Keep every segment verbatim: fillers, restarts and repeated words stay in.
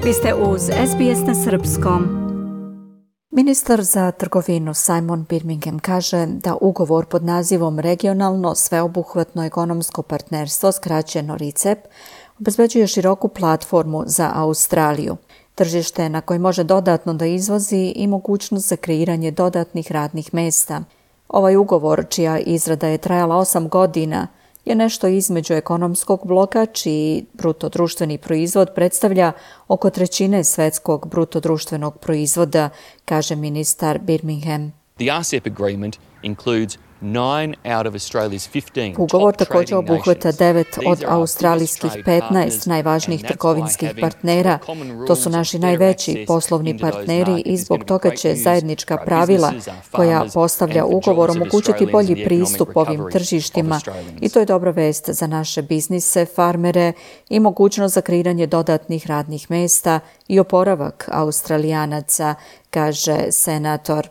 Vi ste uz S B S na srpskom. Ministar za trgovinu Simon Birmingham kaže da ugovor pod nazivom Regionalno sveobuhvatno ekonomsko partnerstvo, skraćeno RICEP, obezbeđuje široku platformu za Australiju, tržište na koje može dodatno da izvozi i mogućnost za kreiranje dodatnih radnih mesta. Ovaj ugovor, čija izrada je trajala osam godina, je nešto između ekonomskog bloka, čiji brutodruštveni proizvod predstavlja oko trećine svetskog brutodruštvenog proizvoda, kaže ministar Birmingham. The R C E P agreement includes nine out of Australia's fifteen Ugovor top također trading obuhvata nations. devet These od are our australijskih biggest trade petnaest partners, najvažnijih and that's why trgovinskih having partnera. common rules To su and naši fair najveći access poslovni into those partneri markets i is zbog gonna be toga great će news zajednička for our pravila businesses, our koja farmers, postavlja and for ugovor jobs of omogućiti Australians bolji and the economic pristup ovim recovery of tržištima Australians. i to je dobra vest za naše biznise, farmere i mogućnost za kreiranje dodatnih radnih mesta i oporavak Australijanaca, kaže senator.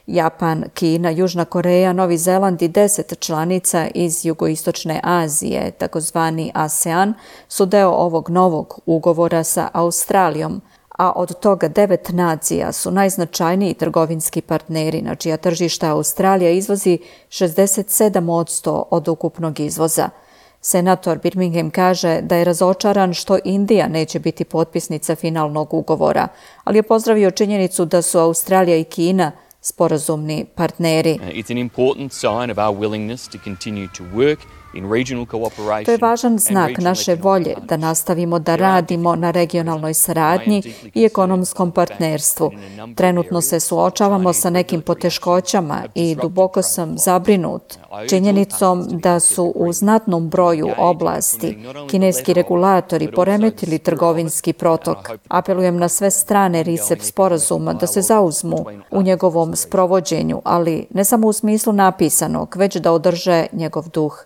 Japan, Kina, Južna Koreja, Novi Zeland i deset članica iz jugoistočne Azije, takozvani ASEAN, su deo ovog novog ugovora sa Australijom, a od toga devet nacija su najznačajniji trgovinski partneri, na čija tržišta Australija izvozi šezdeset sedam posto od ukupnog izvoza. Senator Birmingham kaže da je razočaran što Indija neće biti potpisnica finalnog ugovora, ali je pozdravio činjenicu da su Australija i Kina sporazumni partneri. It's an important sign of our willingness to continue to work in regional cooperation. To je važan znak naše volje da nastavimo da radimo na regionalnoj saradnji i ekonomskom partnerstvu. Trenutno se suočavamo sa nekim poteškoćama i duboko sam zabrinut činjenicom da su u znatnom broju oblasti kineski regulatori poremetili trgovinski protok. Apelujem na sve strane RICEP sporazuma da se zauzmu u njegovom sprovođenju, ali ne samo u smislu napisanog, već da održe njegov duh.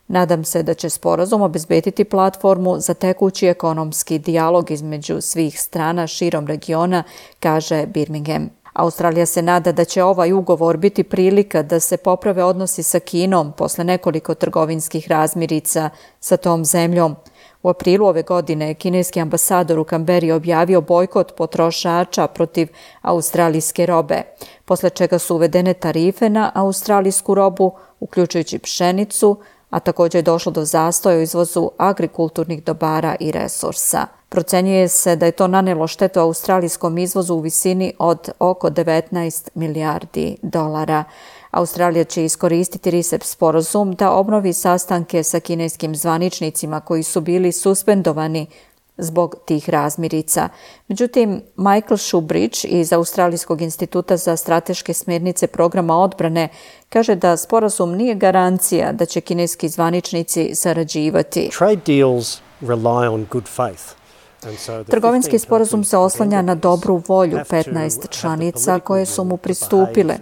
Nadam se da će sporazum obezbediti platformu za tekući ekonomski dijalog između svih strana širom regiona, kaže Birmingham. Australija se nada da će ovaj ugovor biti prilika da se poprave odnosi sa Kinom posle nekoliko trgovinskih razmirica sa tom zemljom. U aprilu ove godine kineski ambasador u Kamberi objavio bojkot potrošača protiv australijske robe, posle čega su uvedene tarife na australijsku robu, uključujući pšenicu, a također je došlo do zastoja u izvozu agrikulturnih dobara i resursa. Procenjuje se da je to nanelo štetu australijskom izvozu u visini od oko devetnaest milijardi dolara. Australija će iskoristiti RICEP sporazum da obnovi sastanke sa kineskim zvaničnicima koji su bili suspendovani zbog tih razmirica. Međutim, Michael Shoebridge iz Australijskog instituta za strateške smjernice programa odbrane kaže da sporazum nije garancija da će kineski zvaničnici sarađivati. Trade deals rely on good faith. Trgovinski sporazum se oslanja na dobru volju petnaest članica koje su mu pristupile.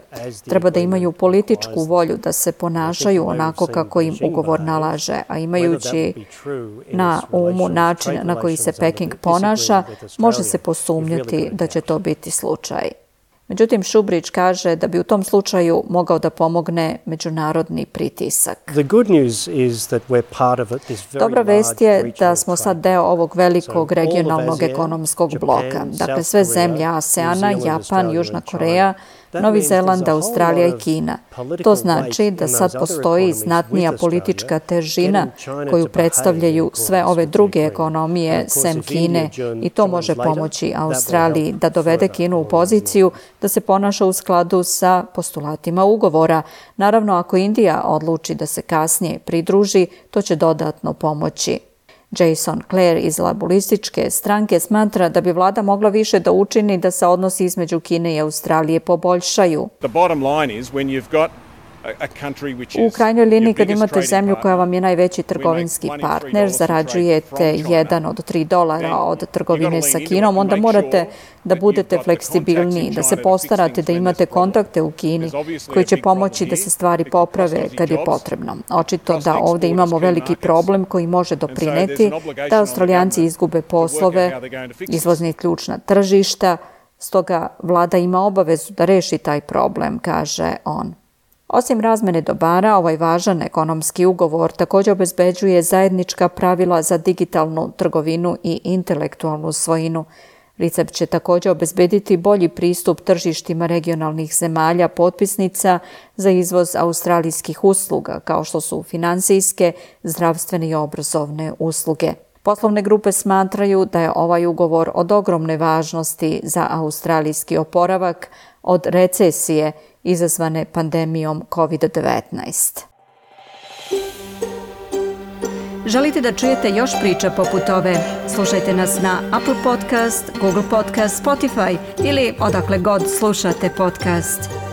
Treba da imaju političku volju da se ponašaju onako kako im ugovor nalaže, a imajući na umu način na koji se Peking ponaša, može se posumnjati da će to biti slučaj. Međutim, Shoebridge kaže da bi u tom slučaju mogao da pomogne međunarodni pritisak. Dobra vest je da smo sad deo ovog velikog regionalnog ekonomskog bloka. Dakle, sve zemlje ASEANA, Japan, Južna Koreja, Novi Zeland, Australija i Kina. To znači da sad postoji znatnija politička težina koju predstavljaju sve ove druge ekonomije sem Kine i to može pomoći Australiji da dovede Kinu u poziciju da se ponaša u skladu sa postulatima ugovora. Naravno, ako Indija odluči da se kasnije pridruži, to će dodatno pomoći. Jason Clare iz laborističke stranke smatra da bi vlada mogla više da učini da se odnosi između Kine i Australije poboljšaju. U krajnjoj liniji, kad imate zemlju koja vam je najveći trgovinski partner, zarađujete jedan od tri dolara od trgovine sa Kinom, onda morate da budete fleksibilniji, da se postarate da imate kontakte u Kini koji će pomoći da se stvari poprave kad je potrebno. Očito da ovdje imamo veliki problem koji može doprineti da Australijanci izgube poslove, izvozni ključna tržišta, stoga vlada ima obavezu da reši taj problem, kaže on. Osim razmene dobara, ovaj važan ekonomski ugovor također obezbeđuje zajednička pravila za digitalnu trgovinu i intelektualnu svojinu. RICEP će također obezbediti bolji pristup tržištima regionalnih zemalja potpisnica za izvoz australijskih usluga, kao što su finansijske, zdravstvene i obrazovne usluge. Poslovne grupe smatraju da je ovaj ugovor od ogromne važnosti za australijski oporavak od recesije izazvane pandemijom kovid devetnaest. Želite da čujete još priča poput ove? Slušajte nas na Apple Podcast, Google Podcast, Spotify ili odakle god slušate podcast.